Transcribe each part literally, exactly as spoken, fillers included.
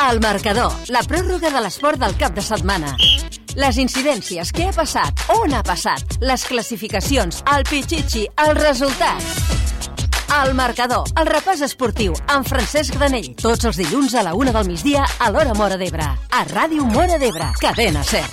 El marcador, la pròrroga de l'esport del cap de setmana. Les incidències, què ha passat, on ha passat, les classificacions, el pitxitxi, els resultats. El marcador, el repàs esportiu, amb Francesc Granell. Tots els dilluns a la una del migdia a l'hora Móra d'Ebre. A Ràdio Móra d'Ebre, Cadena SER.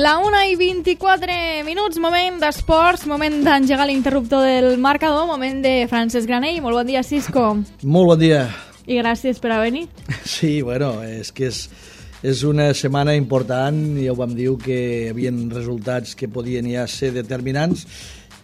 La una i vint-i-quatre minuts, moment d'esports, moment d'engegar l'interruptor del marcador, moment de Francesc Granell. Molt bon dia, Cisco. Molt bon dia. I gràcies per haver-hi. Sí, bueno, és que és, és una setmana important, ja ho vam dir que hi havia resultats que podien ja ser determinants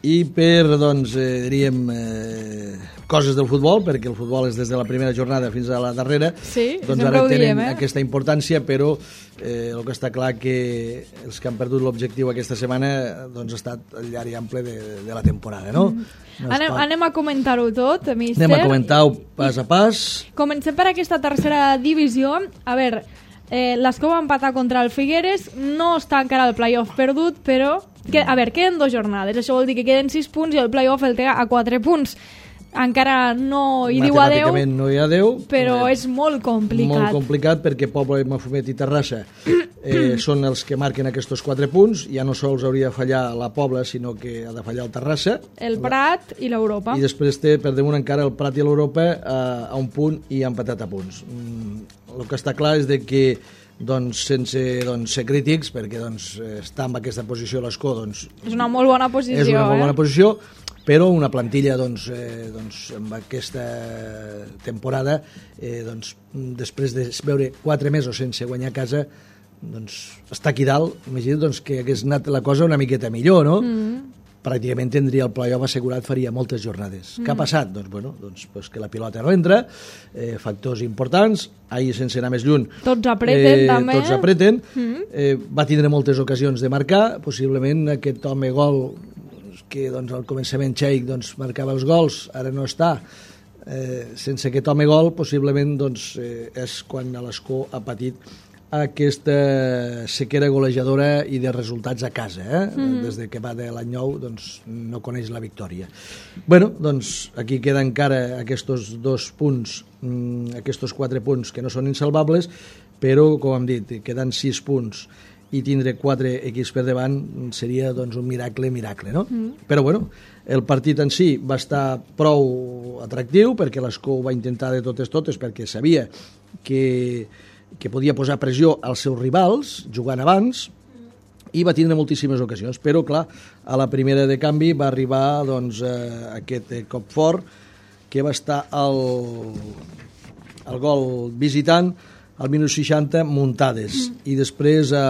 i per, doncs, eh, diríem, eh, coses del futbol, perquè el futbol és des de la primera jornada fins a la darrera, sí, doncs ara tenen diem, eh? aquesta importància, però eh, el que està clar que els que han perdut l'objectiu aquesta setmana doncs ha estat el llarg i ample de, de la temporada, no? Mm. no anem, anem a comentar-ho tot, míster. Anem a comentar-ho pas a pas. Comencem per aquesta tercera divisió. A veure, eh, l'Escó va empatar contra el Figueres, no està encara el playoff perdut, però que, a veure, queden dues jornades, això vol dir que queden sis punts i el playoff el té a quatre punts. Encara no hi diu adeu, matemàticament no hi ha adeu, però eh, és molt complicat. Molt complicat perquè Pobla, Mafumet i Terrassa eh, són els que marquen aquests quatre punts. Ja no sols hauria de fallar la Pobla, sinó que ha de fallar el Terrassa. El Prat i l'Europa. I després té per damunt encara el Prat i l'Europa a, a un punt i empatat a punts. Mm, el que està clar és de que doncs, sense doncs, ser crítics, perquè doncs, estar en aquesta posició a l'Escó doncs, és una molt bona posició, és una molt bona eh? posició, però una plantilla doncs, eh, doncs, amb aquesta temporada eh, doncs, després de veure quatre mesos sense guanyar a casa doncs, està aquí dalt, imagina't doncs, que hagués anat la cosa una miqueta millor, no? Mm. Pràcticament tindria el playoff assegurat, faria moltes jornades. Mm. Què ha passat? Doncs, bueno, doncs, doncs que la pilota no entra, eh, factors importants, ahir sense anar més lluny. Tots apreten, eh, també. Tots apreten. Mm. Eh, va tindre moltes ocasions de marcar, possiblement aquest home gol que doncs, al començament Cheik doncs, marcava els gols, ara no està. Eh, sense aquest home gol, possiblement doncs, eh, és quan l'Escó ha patit aquesta sequera golejadora i de resultats a casa, eh? Mm-hmm. Des de que va de l'any nou doncs, no coneix la victòria. Bueno, doncs aquí queden encara aquests dos punts, mm, aquests quatre punts que no són insalvables, però, com hem dit, queden sis punts i tindre quatre equips per davant seria doncs, un miracle, miracle, no? Mm. Però, bueno, el partit en si va estar prou atractiu, perquè l'Escó ho va intentar de totes totes, perquè sabia que que podia posar pressió als seus rivals, jugant abans, i va tindre moltíssimes ocasions. Però, clar, a la primera de canvi va arribar doncs, eh, aquest cop fort, que va estar el, el gol visitant al minut seixanta, Muntades. Mm. I després, eh,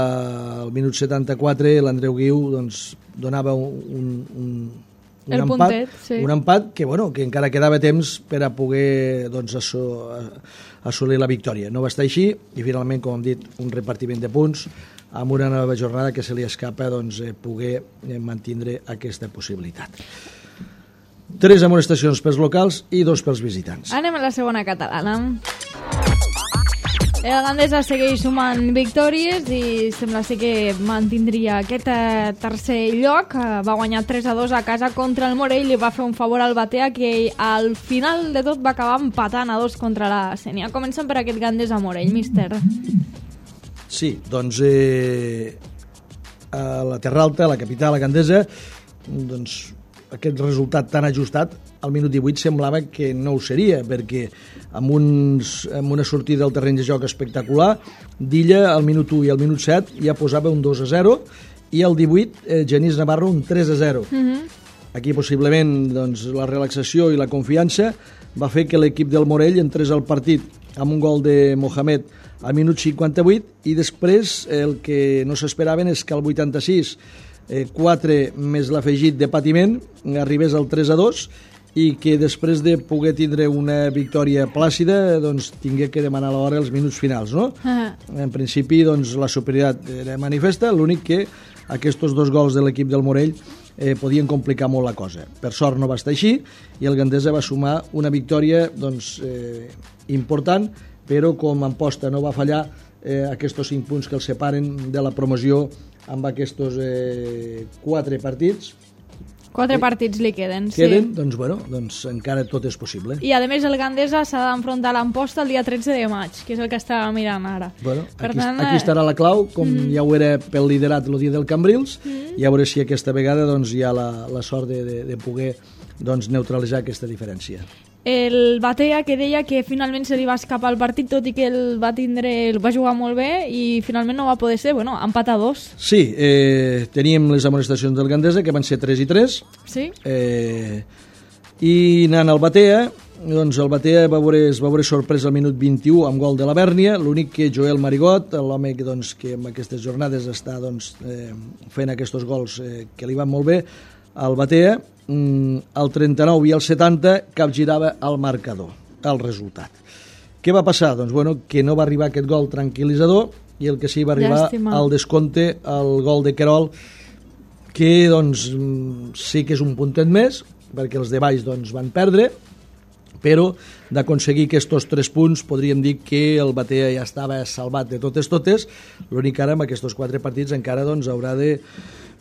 al minut setanta-quatre, l'Andreu Guiu doncs, donava un, un, un, el empat, puntet, sí. un empat que, bueno, que encara quedava temps per a poder doncs, assolir assolir la victòria. No va estar així i finalment, com hem dit, un repartiment de punts amb una nova jornada que se li escapa doncs, eh, poder eh, mantindre aquesta possibilitat. Tres amonestacions pels locals i dos pels visitants. Anem a la segona catalana. El Gandesa segueix sumant victòries i sembla ser que mantindria aquest tercer lloc. Va guanyar tres a dos a casa contra el Morell i va fer un favor al Batea, que al final de tot va acabar empatant a dos contra la Sénia. Comencem per aquest Gandesa Morell, míster. Sí, doncs eh, a la Terra Alta, a la capital, a Gandesa, doncs aquest resultat tan ajustat al minut divuit semblava que no ho seria, perquè amb, uns, amb una sortida del terreny de joc espectacular, Dilla al minut u i al minut set ja posava un dos a zero i al divuit eh, Genís Navarro un tres a zero. Mm-hmm. Aquí possiblement doncs, la relaxació i la confiança va fer que l'equip del Morell entrés al partit amb un gol de Mohamed al minut cinquanta-vuit i després el que no s'esperaven és que al vuitanta-sis eh, quatre més l'afegit de patiment arribés al tres a dos i que després de poder tindre una victòria plàcida doncs tingué que demanar l'hora els minuts finals, no? Uh-huh. En principi doncs la superioritat era manifesta, l'únic que aquests dos gols de l'equip del Morell eh, podien complicar molt la cosa. Per sort no va estar així i el Gandesa va sumar una victòria doncs, eh, important, però com en posta no va fallar, eh, aquests cinc punts que els separen de la promoció amb aquests eh, quatre partits. Quatre partits li queden, sí. Queden, doncs, bueno, doncs encara tot és possible. I, a més, el Gandesa s'ha d'enfrontar a l'Amposta el dia tretze de maig, que és el que està mirant ara. Bueno, per aquí, tant, aquí estarà la clau, com mm. ja ho era pel liderat el dia del Cambrils, mm. i a veure si aquesta vegada doncs, hi ha la, la sort de, de, de poder doncs, neutralitzar aquesta diferència. El Batea, que deia que finalment se li va escapar el partit, tot i que el va tindre, el va jugar molt bé i finalment no va poder ser, bueno, empat a dos. Sí, eh, teníem les amonestacions del Gandesa, que van ser tres i tres. Sí. Eh, I anant al Batea, doncs el Batea va veure, es va veure sorprès al minut vint-i-u amb gol de la Bèrnia, l'únic que Joel Marigot, l'home que, doncs, que en aquestes jornades està doncs, eh, fent aquests gols eh, que li van molt bé, al Batea, al trenta-nou i al setanta capgirava el marcador, el resultat. Què va passar? Doncs bueno, que no va arribar aquest gol tranquil·litzador i el que sí va arribar Llàstima. al descompte, el gol de Querol, que doncs sí que és un puntet més, perquè els de baix doncs, van perdre, però d'aconseguir aquests tres punts podríem dir que el Batea ja estava salvat de totes totes, l'únic que ara amb aquests quatre partits encara doncs, haurà de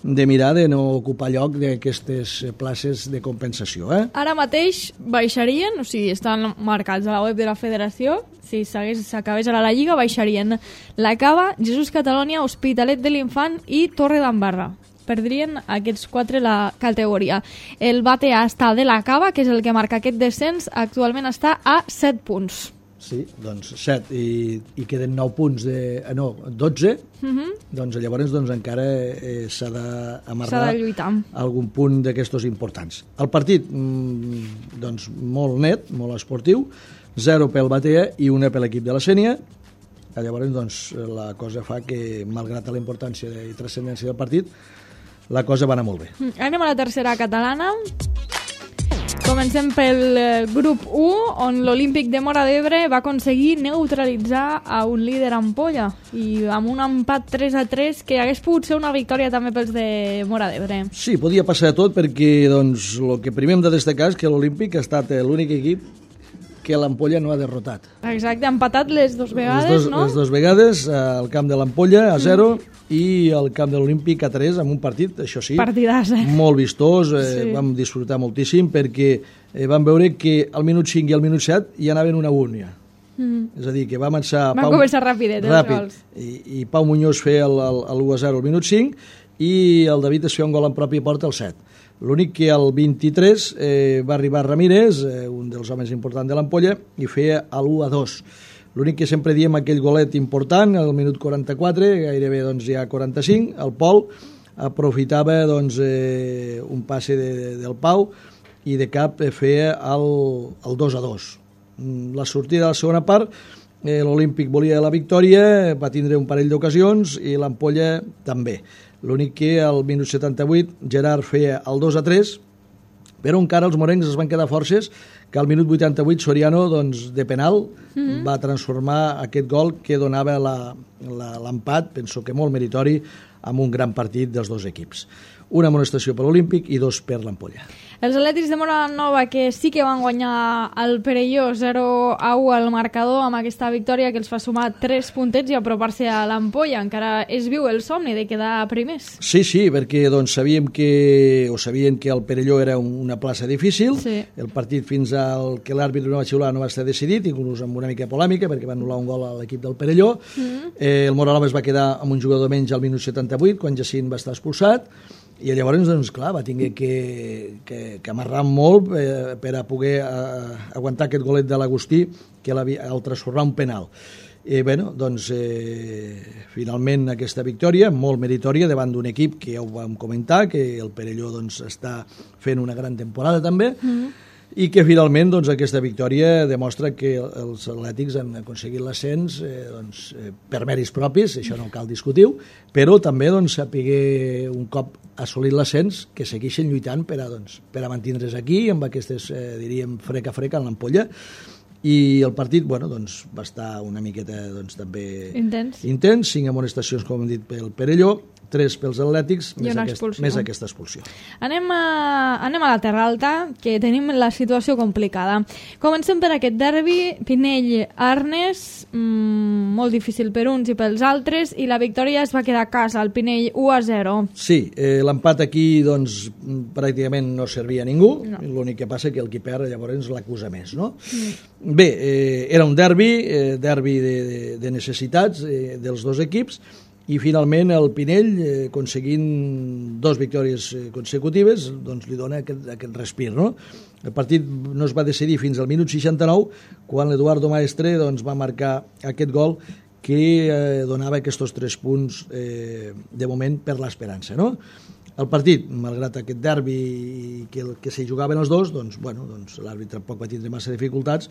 de mirar de no ocupar lloc d'aquestes places de compensació. Eh? Ara mateix baixarien, o sigui, estan marcats a la web de la federació, si s'acabés ara la Lliga, baixarien la Cava, Jesús Catalònia, Hospitalet de l'Infant i Torre d'Embarra. Perdrien aquests quatre la categoria. El Batea està de la Cava, que és el que marca aquest descens, actualment està a set punts. Sí, doncs set, i, i queden nou punts, de, no, dotze, uh-huh. doncs llavors doncs, encara eh, s'ha d'amarrar algun punt d'aquestos importants. El partit, mm, doncs, molt net, molt esportiu, zero pel Batea i una per l'equip de la Sénia. Llavors, doncs, la cosa fa que, malgrat la importància i transcendència del partit, la cosa va anar molt bé. Anem a la tercera catalana. Comencem pel grup u, on l'Olímpic de Móra d'Ebre va aconseguir neutralitzar a un líder Ampolla i amb un empat tres a tres que hagués pogut ser una victòria també pels de Móra d'Ebre. Sí, podia passar tot perquè doncs, el que primer hem de destacar és que l'Olímpic ha estat l'únic equip que l'Ampolla no ha derrotat. Exacte, ha empatat les dues vegades, les dos, no? Les dues vegades, al camp de l'Ampolla a zero mm. i al camp de l'Olímpic a tres, amb un partit, això sí, partidàs, eh? molt vistós, eh, sí. Vam disfrutar moltíssim perquè eh, vam veure que al minut cinc i al minut set hi anaven una únia. Mm. És a dir, que va començar... Van Pau, començar rapidet, ràpid, els gols. I, i Pau Muñoz feia l'u a zero al minut cinc i el David es feia un gol en pròpia porta al set. L'únic que al vint-i-tres eh, va arribar Ramírez, eh, un dels homes importants de l'Ampolla, i feia l'u a dos. L'únic que sempre diem aquell golet important, al minut quaranta-quatre, gairebé doncs, ja quaranta-cinc, el Pol aprofitava doncs, eh, un passe de, de, del Pau i de cap feia el, el dos a dos. La sortida de la segona part, eh, l'Olímpic volia la victòria, va tindre un parell d'ocasions i l'Ampolla també. L'únic que al minut setanta-vuit Gerard feia el dos a tres, però encara els morencs es van quedar forces que al minut vuitanta-vuit Soriano doncs, de penal mm-hmm. va transformar aquest gol que donava l'empat, penso que molt meritori, amb un gran partit dels dos equips. Una amonestació per l'Olímpic i dos per l'Ampolla. Els atlètics de Móra Nova, que sí que van guanyar el Perelló zero a u al marcador amb aquesta victòria que els fa sumar tres puntets i apropar-se a l'Ampolla. Encara es viu el somni de quedar primers. Sí, sí, perquè doncs, sabíem que, o sabien que el Perelló era una plaça difícil. Sí. El partit fins al que l'àrbitre no va xiular no va estar decidit, inclús amb una mica polèmica, perquè va anul·lar un gol a l'equip del Perelló. Mm. Eh, el Móra Nova es va quedar amb un jugador menys al minut setanta-vuit, quan Jacint va estar expulsat. I llavors, doncs, clar, va tenir que, que, que amarrar molt eh, per a poder eh, aguantar aquest golet de l'Agustí, que el transformar un penal. I, bueno, doncs, eh, finalment aquesta victòria, molt meritòria, davant d'un equip que ja ho vam comentar, que el Perelló doncs, està fent una gran temporada també, mm-hmm. i que finalment doncs, aquesta victòria demostra que els atlètics han aconseguit l'ascens eh, doncs, eh, per mèrits propis, això no cal discutir-ho, però també doncs, sapiguer un cop assolit l'ascens que segueixen lluitant per a, doncs, per a mantindre's aquí amb aquestes, eh, diríem, freca freca en l'Ampolla. I el partit, bueno, doncs, va estar una miqueta doncs, també intens. intens, cinc amonestacions, com hem dit, pel Perelló, tres pels Atlètics, I més, una aquest, expulsió. més aquesta expulsió. Anem a, anem a la Terra Alta, que tenim la situació complicada. Comencem per aquest derbi, Pinell-Arnes, mmm, molt difícil per uns i pels altres, i la victòria es va quedar a casa, el Pinell u a zero. Sí, eh, l'empat aquí doncs, pràcticament no servia a ningú, No. l'únic que passa que el qui perd llavors l'acusa més, no? Mm. Bé, eh, era un derbi, eh, derbi de, de, de necessitats eh, dels dos equips, i finalment el Pinell, eh, aconseguint dos victòries eh, consecutives, doncs li dona aquest, aquest respir, no? El partit no es va decidir fins al minut seixanta-nou, quan l'Eduardo Maestre doncs, va marcar aquest gol que eh, donava aquests tres punts eh, de moment per l'esperança, no? El partit, malgrat aquest derbi que, que s'hi jugaven els dos, doncs, bueno, doncs, l'àrbitre tampoc va tindre massa dificultats,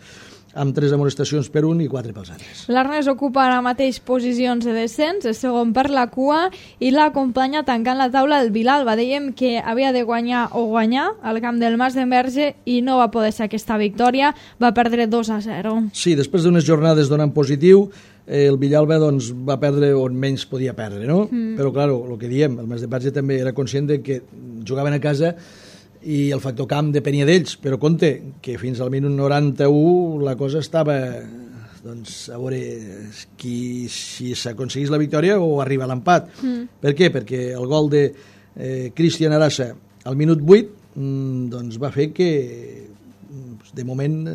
amb tres amonestacions per un i quatre pels altres. L'Arnes ocupa ara mateix posicions de descens, és segon per la cua, i l'acompanya tancant la taula el Vilalba. Dèiem que havia de guanyar o guanyar al camp del Mas d'Enverge i no va poder ser aquesta victòria, va perdre dos a zero. Sí, després d'unes jornades donant positiu, eh, el Villalba doncs, va perdre on menys podia perdre, no? Mm. Però, clar, el que diem, el Mas d'Enverge també era conscient de que jugaven a casa i el factor camp depenia d'ells, però compte que fins al minut noranta-u la cosa estava, doncs, a veure qui, si s'aconseguís la victòria o arriba a l'empat. Mm. Per què? Perquè el gol de eh, Cristian Arasa al minut vuit mm, doncs va fer que de moment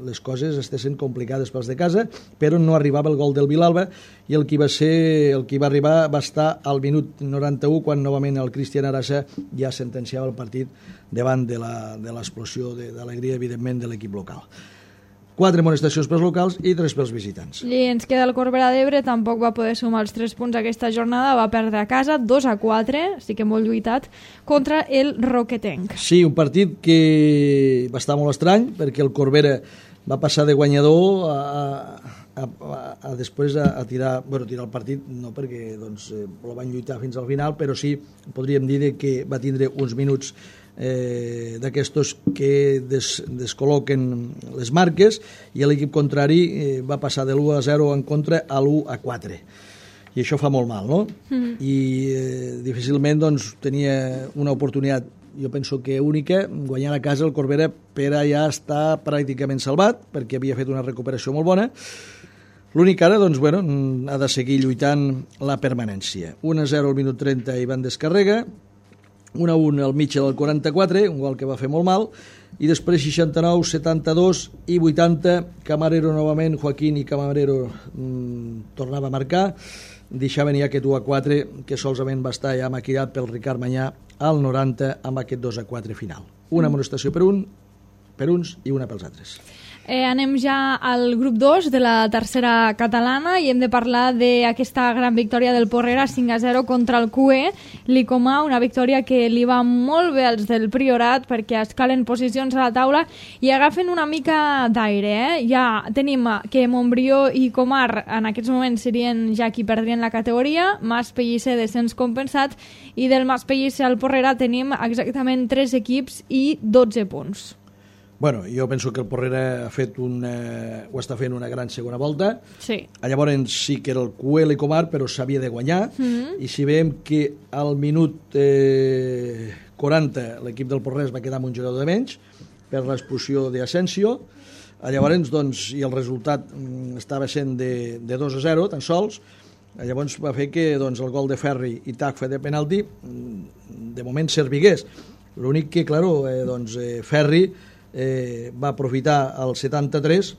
les coses estessin complicades pels de casa, però no arribava el gol del Vilalba i el qui va ser, el qui va arribar va estar al minut noranta-u quan novament el Cristian Arasa ja sentenciava el partit davant de l'explosió d'alegria, evidentment, de l'equip local. Quatre amonestacions pels locals i tres pels visitants. I ens queda el Corbera d'Ebre, tampoc va poder sumar els tres punts aquesta jornada, va perdre a casa dos a quatre, sí que molt lluitat, contra el Roquetenc. Sí, un partit que va estar molt estrany, perquè el Corbera va passar de guanyador a, a, a, a després a, a tirar, bueno, tirar el partit, no perquè doncs, eh, el van lluitar fins al final, però sí, podríem dir que va tindre uns minuts eh, d'aquestos que des, descol·loquen les marques i l'equip contrari eh, va passar de l'u a zero en contra a l'u a quatre. I això fa molt mal, no? Mm. I eh, difícilment doncs, tenia una oportunitat, jo penso que única, guanyant a casa el Corbera per allà està pràcticament salvat, perquè havia fet una recuperació molt bona. L'únic ara, doncs, bueno, ha de seguir lluitant la permanència. u a zero al minut trenta Ivan Descarrega, un a un al Mitchell al quaranta-quatre, un gol que va fer molt mal, i després seixanta-nou, setanta-dos i vuitanta, Camarero novament, Joaquín i Camarero mmm, tornava a marcar, deixaven ja aquest u a quatre, que solament va estar ja maquillat pel Ricard Manyà al noranta amb aquest dos a quatre final. Una amonestació per un, per uns i una pels altres. Eh, anem ja al grup dos de la tercera catalana i hem de parlar d'aquesta gran victòria del Porrera cinc a zero contra el Q E Licomà, una victòria que li va molt bé als del Priorat perquè escalen posicions a la taula i agafen una mica d'aire. Eh? Ja tenim que Montbrió i Comar en aquests moments serien ja qui perdrien la categoria, Mas Pellicer descens compensat, i del Mas Pellicer al Porrera tenim exactament tres equips i dotze punts. Bueno, jo penso que el Porrera ha fet una, ho està fent una gran segona volta. Sí. Llavors sí que era el Q E Licomar, però s'havia de guanyar. Mm-hmm. I si veiem que al minut eh, quaranta l'equip del Porrera es va quedar amb un jugador de menys per l'expulsió d'Asensio, llavors doncs, i el resultat estava sent de, de dos a zero, tan sols. Llavors va fer que doncs, el gol de Ferri i Tacfa de penalti de moment servigués. L'únic que, claro, eh, doncs, eh, Ferri Eh, va aprofitar el setanta-tres,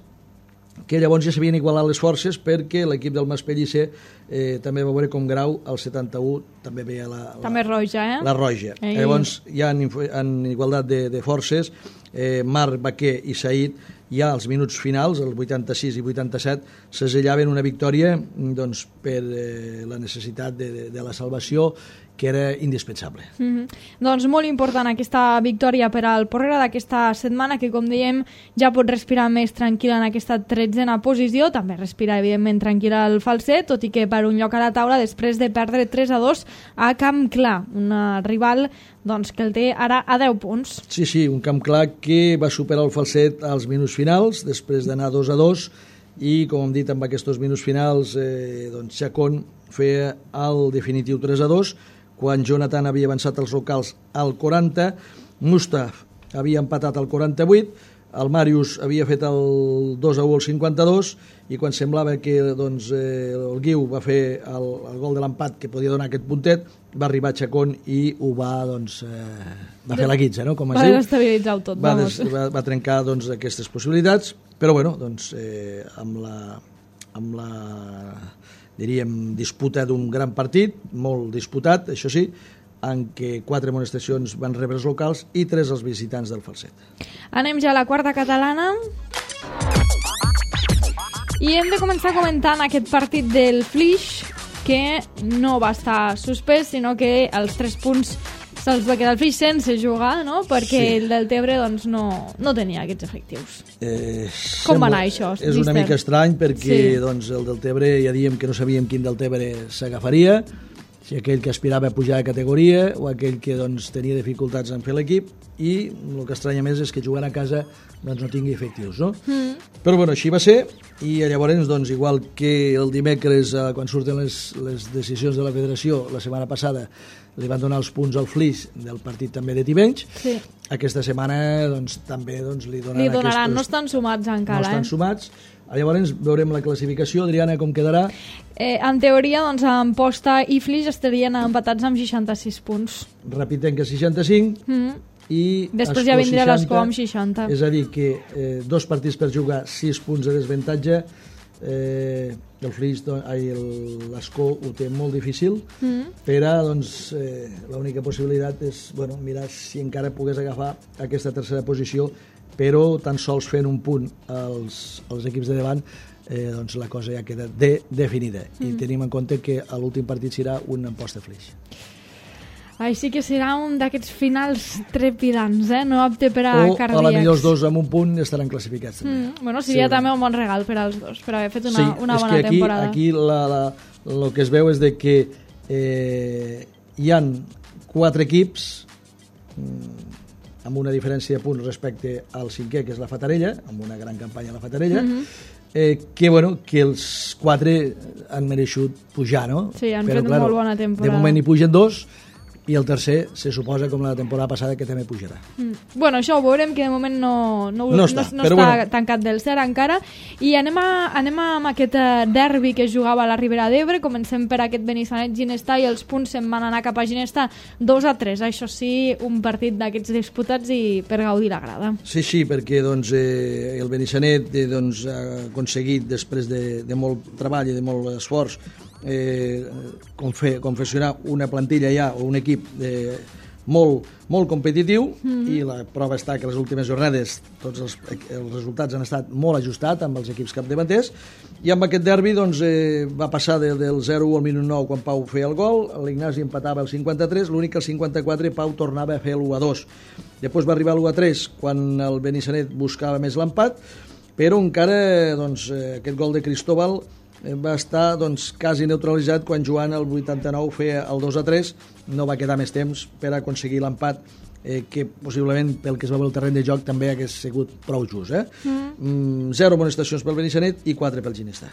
que llavors ja s'havien igualat les forces perquè l'equip del Mas Pellicer eh, també va veure com Grau al setanta-u també veia la, la, també roja, eh? la roja. Ei. Llavors ja en, en igualtat de, de forces eh, Marc Baquer i Saïd ja als minuts finals, el vuitanta-sis i vuitanta-set, sesellaven una victòria doncs, per eh, la necessitat de, de, de la salvació, que era indispensable. Mm-hmm. Doncs molt important aquesta victòria per al Porrera d'aquesta setmana, que com dèiem ja pot respirar més tranquil·la en aquesta tretzena posició, també respira evidentment tranquil·la el Falset, tot i que per un lloc a la taula després de perdre tres a dos a Camp Clar, un rival doncs, que el té ara a deu punts. Sí, sí, un Camp Clar que va superar el Falset als minuts finals, després d'anar dos a dos, i com hem dit amb aquests minuts finals eh, doncs Chacón feia el definitiu tres a dos, quan Jonathan havia avançat els locals al quaranta, Mustaf havia empatat al quaranta-vuit, el Màrius havia fet el dos a u al cinquanta-dos i quan semblava que doncs, eh, el Guiu va fer el, el gol de l'empat que podia donar aquest puntet, va arribar Chacón i ho va, doncs, eh, va fer la guitza, no? Com es va diu. desestabilitzar tot, va, vamos. des, va, va trencar doncs, aquestes possibilitats, però bueno, doncs, eh, amb la, amb la diríem, disputa d'un gran partit, molt disputat, això sí, en què quatre amonestacions van rebre els locals i tres els visitants del Falset. Anem ja a la quarta catalana i hem de començar comentant aquest partit del Flix, que no va estar suspès, sinó que els tres punts se'ls va quedar el Flix sense jugar, no? Perquè sí. el Deltebre doncs, no, no tenia aquests efectius. Eh, Com va anar això? És una mica estrany perquè sí. doncs, el Deltebre ja diem que no sabíem quin Deltebre s'agafaria, si aquell que aspirava a pujar de categoria o aquell que doncs, tenia dificultats en fer l'equip, i el que estranya més és que jugant a casa doncs, no tingui efectius, no? Mm. Però bueno, així va ser, i llavors, doncs, igual que el dimecres, eh, quan surten les, les decisions de la federació, la setmana passada, li van donar els punts al Flix del partit també de Tivenys, sí. aquesta setmana doncs, també doncs, li donaran, li donaran aquests... no estan sumats encara. No estan eh? sumats. Llavors veurem la classificació. Adriana, com quedarà? Eh, en teoria, doncs, Amposta i Flix estarien empatats amb seixanta-sis punts. Rapitenca seixanta-cinc mm. i després ja vindrà l'Escó amb seixanta. És a dir, que eh, dos partits per jugar, sis punts de desventatge. Eh, el Flix, l'Escó ho té molt difícil, mm. però doncs, eh, l'única possibilitat és bueno, mirar si encara pogués agafar aquesta tercera posició, però tan sols fent un punt als, als equips de davant, eh, doncs la cosa ja queda de, definida. Mm. I tenim en compte que l'últim partit serà un Amposta Flix. Així que serà un d'aquests finals trepidants, eh? No apte per a o, cardíacs. O a la millor els dos amb un punt estaran classificats també. Mm, bueno, seria sí, també un bon regal per als dos, per haver fet una, sí, una bona aquí, temporada. Aquí la, la, el que es veu és de que eh, hi han quatre equips mm, amb una diferència de punts respecte al cinquè, que és la Fatarella, amb una gran campanya a la Fatarella, mm-hmm. eh, que, bueno, que els quatre han mereixut pujar, no? Sí, han però, fet claro, molt bona temporada. De moment hi pugen dos, i el tercer se suposa com la temporada passada que també pujarà. Mm. Bueno, això ho veurem, que de moment no, no, no està, no, no però està bueno. tancat del cert encara. I anem, a, anem a, amb aquest derbi que es jugava a la Ribera d'Ebre. Comencem per aquest Benissanet-Ginestà i els punts se'n van anar cap a Ginestà dos a tres. Això sí, un partit d'aquests disputats i per gaudir la grada. Sí, sí, perquè doncs, eh, el Benissanet eh, doncs, ha aconseguit, després de, de molt treball i de molt esforç, eh, confe, confeccionar una plantilla ja o un equip de, molt, molt competitiu, mm-hmm. i la prova està que les últimes jornades tots els, els resultats han estat molt ajustats amb els equips capdavanters, i amb aquest derbi doncs, eh, va passar de, del zero a u al minut nou quan Pau feia el gol, l'Ignasi empatava el cinquanta-tres, l'únic que el cinquanta-quatre Pau tornava a fer l'u a dos. Després va arribar l'u a tres quan el Benissanet buscava més l'empat, però encara doncs, aquest gol de Cristóbal va estar doncs, quasi neutralitzat quan Joan el vuitanta-nou feia el dos a tres, no va quedar més temps per aconseguir l'empat, eh, que possiblement pel que es va veure el terreny de joc també hagués sigut prou just. Eh? Mm. Mm, zero amonestacions pel Benissanet i quatre pel Ginestà.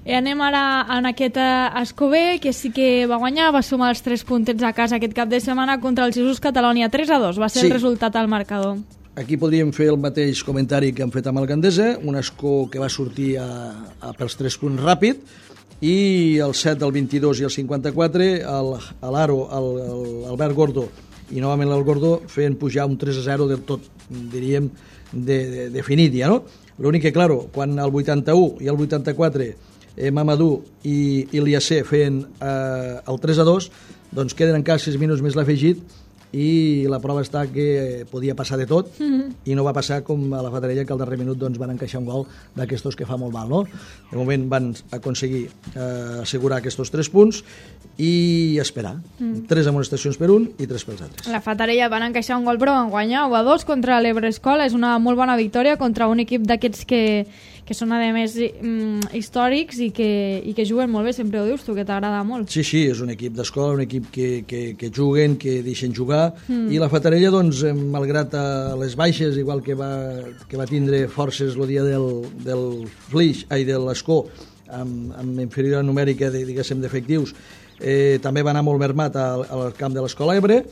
I anem ara en aquest Escobé, que sí que va guanyar, va sumar els tres puntets a casa aquest cap de setmana contra el Jesús Catalònia, tres a dos, va ser sí. el resultat al marcador. Aquí podríem fer el mateix comentari que hem fet amb el Gandesa, un Escó que va sortir a, a pels tres punts ràpid, i el set, el vint-i-dos i el cinquanta-quatre, l'Aro, l'Albert Gordo i novament el Gordo feien pujar un tres a zero del tot, diríem, de, de, definit ja, no? L'únic que, claro, quan el vuitanta-u i el vuitanta-quatre eh, Mamadou i Iliasser feien eh, el tres a dos, doncs queden encara sis minuts més l'afegit, i la prova està que podia passar de tot, mm-hmm. i no va passar com a la Fatarella, que al darrer minut doncs, van encaixar un gol d'aquestos que fa molt mal, no? De moment van aconseguir eh, assegurar aquests tres punts i esperar. Mm. Tres amonestacions per un i tres pels altres. La Fatarella van encaixar un gol, però van guanyar u a dos contra l'Ebre Escola. És una molt bona victòria contra un equip d'aquests que, que són, a més, mm, històrics i que, i que juguen molt bé. Sempre ho dius tu, que t'agrada molt. Sí, sí, és un equip d'escola, un equip que, que, que juguen, que deixen jugar, mm. i la Fatarella, doncs, malgrat les baixes, igual que va, que va tindre forces el dia del, del Flix, ai, de l'Escó, amb, amb inferior numèrica de, diguéssim, d'efectius, eh, també va anar molt mermat al, al camp de l'Escola Ebre,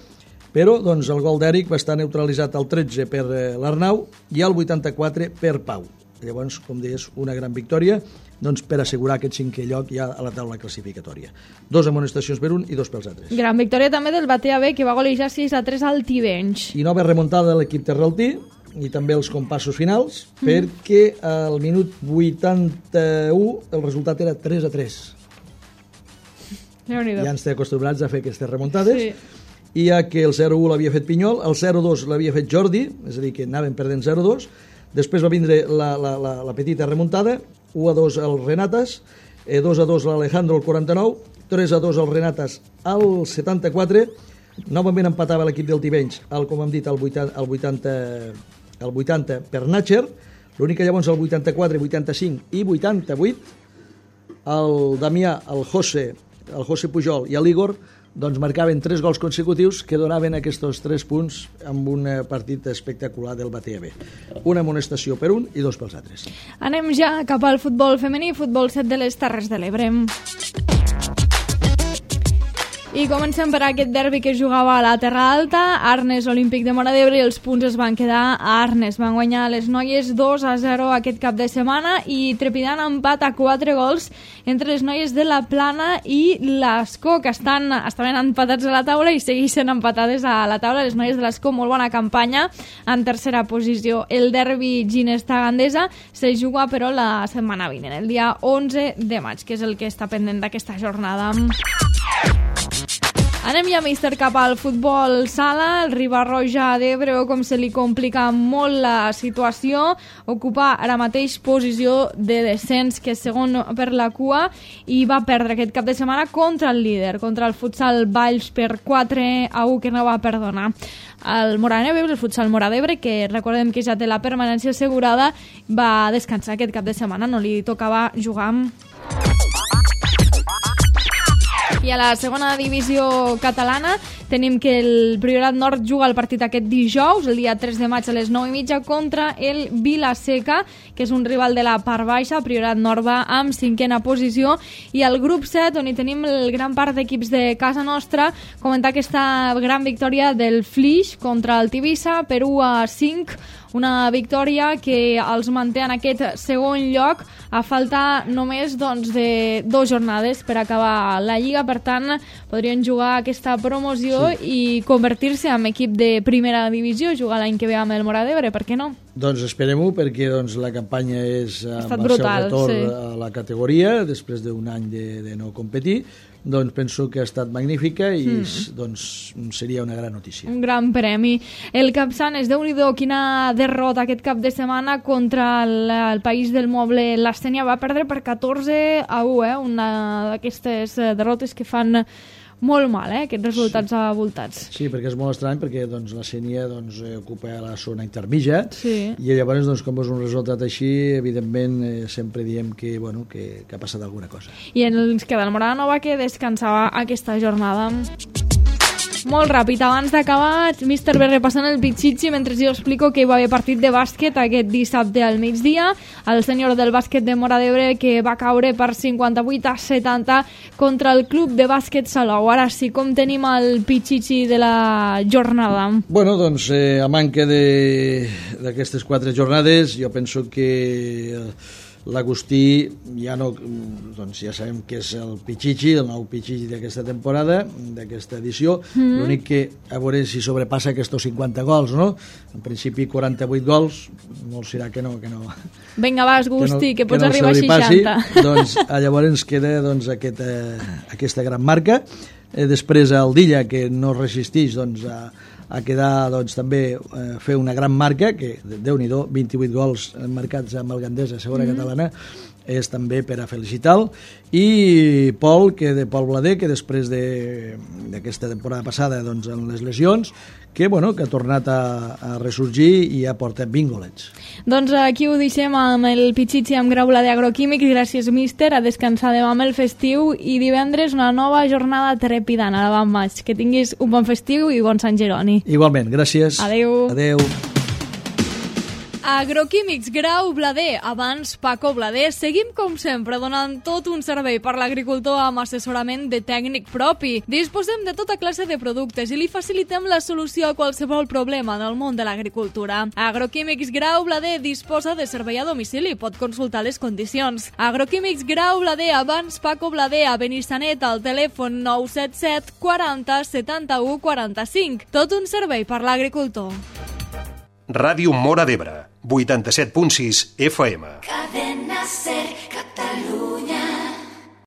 però doncs, el gol d'Eric va estar neutralitzat al tretze per eh, l'Arnau i al vuitanta-quatre per Pau. Llavors, com deies, una gran victòria doncs, per assegurar aquest cinquè lloc ja a la taula classificatòria. Dos amonestacions per un i dos pels altres. Gran victòria també del Batea B, que va golejar sis a tres al Tivenys. I nova remuntada de l'equip terraltí, i també els compassos finals, mm. perquè al minut vuitanta-u el resultat era tres a tres. Ja ens té acostumbrats a fer aquestes remuntades. Sí. I ja que el zero a u l'havia fet Pinyol, el zero a dos l'havia fet Jordi, és a dir, que anaven perdent zero a dos, després va vindre la, la, la, la petita remuntada, u a dos al Renatas, eh, dos a dos l'Alejandro al quaranta-nou, tres a dos al Renatas al setanta-quatre, novament empatava l'equip del Tivenys, el, com hem dit, al vuitanta, al vuitanta, al vuitanta per Natcher, l'únic que llavors al vuitanta-quatre, vuitanta-cinc i vuitanta-vuit, el Damià, el José, el José Pujol i l'Igor doncs marcaven tres gols consecutius que donaven aquests tres punts amb un partit espectacular del Batea B. Una amonestació per un i dos pels altres. Anem ja cap al futbol femení, futbol set de les Terres de l'Ebre. I comencem per aquest derbi que es jugava a la Terra Alta, Arnes Olímpic de Móra d'Ebre, i els punts es van quedar a Arnes. Van guanyar les noies dos a zero aquest cap de setmana i trepidant empat a quatre gols entre les noies de la Plana i l'Escó, que estan, estaven empatats a la taula i segueixen empatades a la taula. Les noies de l'Escó, molt bona campanya, en tercera posició. El derbi Ginesta-Gandesa se juga, però, la setmana vinent, el dia onze de maig, que és el que està pendent d'aquesta jornada. Anem ja, míster, cap al futbol sala. El Riba-roja d'Ebre, com se li complica molt la situació, ocupa ara mateix posició de descens, que és segon per la cua, i va perdre aquest cap de setmana contra el líder, contra el futsal Valls per quatre a u, que no va perdonar. El Moraneu, el futsal Móra d'Ebre, que recordem que ja té la permanència assegurada, va descansar aquest cap de setmana, no li tocava jugar amb... I a la segona divisió catalana tenim que el Priorat Nord juga el partit aquest dijous, el dia tres de maig a les nou i mitja, contra el Vila-seca, que és un rival de la part baixa. Priorat Nord va amb cinquena posició. I al grup set, on hi tenim el gran part d'equips de casa nostra, comentar aquesta gran victòria del Flix contra el Tivissa per u a cinc, una victòria que els manté en aquest segon lloc a falta només doncs, de dues jornades per acabar la Lliga. Per tant, podrien jugar aquesta promoció sí. i convertir-se en equip de primera divisió, jugar l'any que ve amb el Móra d'Ebre, per què no? Doncs esperem-ho, perquè doncs, la campanya és amb el brutal, seu retorn sí. a la categoria, després d'un any de, de no competir. Doncs penso que ha estat magnífica i mm. doncs, seria una gran notícia. Un gran premi. El Capçanes, Déu-n'hi-do, quina derrota aquest cap de setmana contra el, el País del Moble. L'Astènia va perdre per catorze a u, eh? Una d'aquestes derrotes que fan molt mal, eh? Aquests resultats sí. avoltats. Sí, perquè és molt estrany, perquè doncs, la Sénia doncs, ocupa la zona intermitja sí. i llavors, doncs, com és un resultat així, evidentment eh, sempre diem que, bueno, que, que ha passat alguna cosa. I ens queda el Morada Nova, que descansava aquesta jornada. Molt ràpid, abans d'acabar, míster B repassant el Pichichi mentre jo explico que hi va haver partit de bàsquet aquest dissabte al migdia. El senyor del bàsquet de Móra d'Ebre, que va caure per cinquanta-vuit a setanta contra el club de bàsquet Salou. Ara sí, com tenim el Pichichi de la jornada? Bueno, doncs, eh, a manca d'aquestes quatre jornades, jo penso que... Eh, l'Agustí ja no, doncs ja sabem que és el Pichichi, el nou Pichichi d'aquesta temporada, d'aquesta edició. Mm. L'únic que a veure si sobrepassa aquests cinquanta gols, no? En principi quaranta-vuit gols, molt serà que no, que no. Vinga, va, Agustí, que, no, que pots que no arribar a seixanta. Doncs llavors ens queda doncs, aquesta, aquesta gran marca. Eh, després el Dilla, que no resisteix doncs, a a quedar doncs, també eh, fer una gran marca, que Déu-n'hi-do, vint-i-vuit gols marcats amb el Gandesa, segona mm. catalana, és també per a felicitar-lo. I Pol, que de Pol Blader, que després d'aquesta de, temporada passada doncs, en les lesions, que, bueno, que ha tornat a, a ressorgir i ha portat vint golets. Doncs aquí ho deixem amb el Pichichi amb Graula d'Agroquímics. Gràcies, míster, a descansar demà amb el festiu i divendres una nova jornada trepidant a l'avant maig. Que tinguis un bon festiu i bon Sant Jeroni. Igualment, gràcies. Adeu. Adeu. Agroquímics Grau Blader, abans Paco Blader. Seguim, com sempre, donant tot un servei per l'agricultor amb assessorament de tècnic propi. Disposem de tota classe de productes i li facilitem la solució a qualsevol problema en el món de l'agricultura. Agroquímics Grau Blader disposa de servei a domicili, pot consultar les condicions. Agroquímics Grau Blader, abans Paco Blader, a Benissanet, al telèfon nou set set quaranta setanta-u quaranta-cinc. Tot un servei per l'agricultor. Ràdio Móra d'Ebre, vuitanta-set punt sis F M. Cadena Ser.